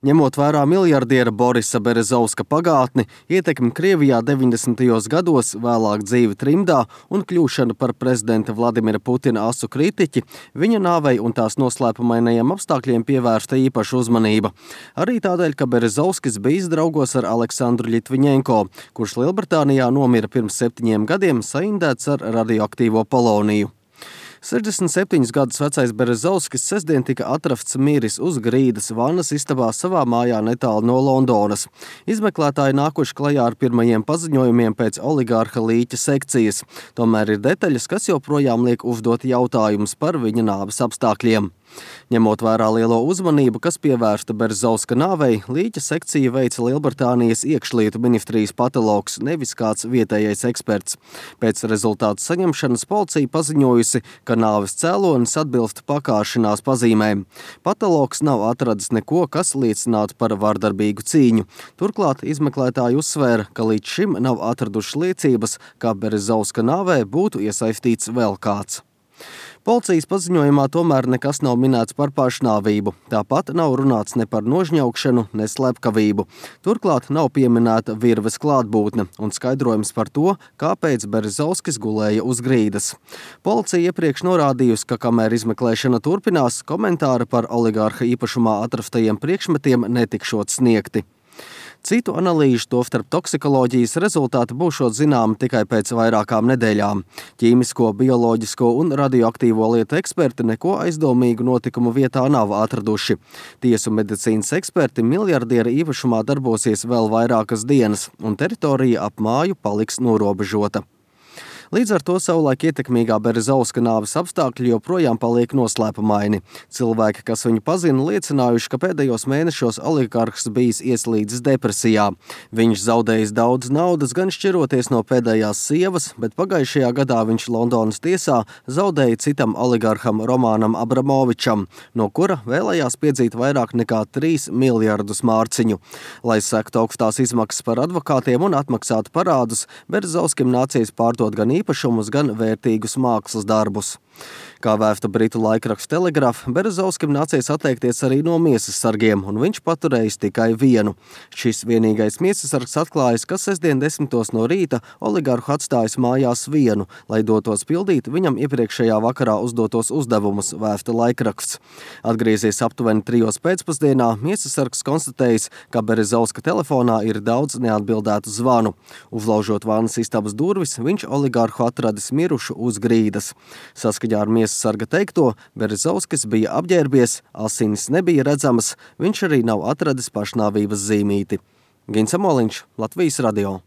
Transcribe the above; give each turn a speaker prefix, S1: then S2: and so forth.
S1: Ņemot vērā miljardiera Borisa Berezovska pagātni, ietekmi Krievijā 90. gados, vēlāk dzīvi trimdā un kļūšanu par prezidenta Vladimira Putina asu kritiķi, viņa nāvei un tās noslēpumainajiem apstākļiem pievērsta īpaša uzmanība. Arī tādēļ, ka Berezovskis bijis draugos ar Aleksandru Ļitviņenko, kurš Lielbritānijā nomira pirms 7 gadiem saindēts ar radioaktīvo poloniju. 67 gadus vecais Berezovskis sestdien tika atrasts miris uz grīdas vannas istabā savā mājā netālu no Londonas. Izmeklētāji nākuši klajā ar pirmajiem paziņojumiem pēc oligārha Līķa sekcijas. Tomēr ir detaļas, kas joprojām liek uzdot jautājumus par viņa nāves apstākļiem. Ņemot vērā lielo uzmanību, kas pievērsta Berezovska nāvei, Līķa sekcija veica Lielbritānijas iekšlietu ministrijas patologs, nevis kāds vietējais eksperts. Pēc rezultātu saņemšanas policija paziņojusi, ka nāves cēlonis atbilst pakāšanās pazīmēm. Patologs nav atradis neko, kas liecinātu par vardarbīgu cīņu. Turklāt izmeklētāji uzsvēra, ka līdz šim nav atraduši liecības, ka Berezovska nāvē būtu iesaistīts vēl kāds. Policijas paziņojumā tomēr nekas nav minēts par pašnāvību. Tāpat nav runāts ne par nožņaukšanu, ne slepkavību. Turklāt nav pieminēta virves klātbūtne un skaidrojums par to, kāpēc Berezovskis gulēja uz grīdas. Policija iepriekš norādījusi, ka kamēr izmeklēšana turpinās, komentāri par oligārha īpašumā atrastajiem priekšmetiem netikšot sniegti. Citu analīžu, tostarp toksikoloģijas rezultāti būšot zināmi tikai pēc vairākām nedēļām. Ķīmisko, bioloģisko un radioaktīvo lietu eksperti neko aizdomīgu notikumu vietā nav atraduši. Tiesu medicīnas eksperti miljardiera īpašumā darbosies vēl vairākas dienas, un teritorija ap māju paliks norobežota. Līdz ar to savulaik ietekmīgā Berezovska nāves apstākļi joprojām paliek noslēpumaini. Cilvēki, kas viņu pazina, liecinājuši, ka pēdējos mēnešos oligarhs bijis ieslīdis depresijā. Viņš zaudējis daudz naudas, gan šķiroties no pēdējās sievas, bet pagājušajā gadā viņš Londonas tiesā zaudēja citam oligarham Romanam Abramovičam, no kura vēlējās piedzīt vairāk nekā 3 miljardus mārciņu. Lai sektu augstās izmaksas par advokātiem un atmaksātu parādus, Berezovskim nācies pārdot gan īpašumus, gan vērtīgus mākslas darbus. Kā vēsta britu laikraksts Telegraph, Berezovskim nācies atteikties arī no miesas sargiem, un viņš paturējis tikai vienu. Šis vienīgais miesas sargs atklājas, ka sestdien 10 no rīta oligarhu atstājis mājās vienu, lai dotos pildīt viņam iepriekšējā vakarā uzdotos uzdevumus, vēsta laikraksts. Atgriezies aptuveni 3 pēcpusdienā, miesas sargs konstatējis, ka Berezovska telefonā ir daudz neatbildētu zvanu. Uzlaužot vannas istabas durvis, viņš oligarhu atradis mirušu uz grīdas. Saskaņā ar miesas sarga teikto, Berezovskis bija apģērbies, asinis nebija redzamas, viņš arī nav atradis pašnāvības zīmīti. Gins Amoliņš, Latvijas radio.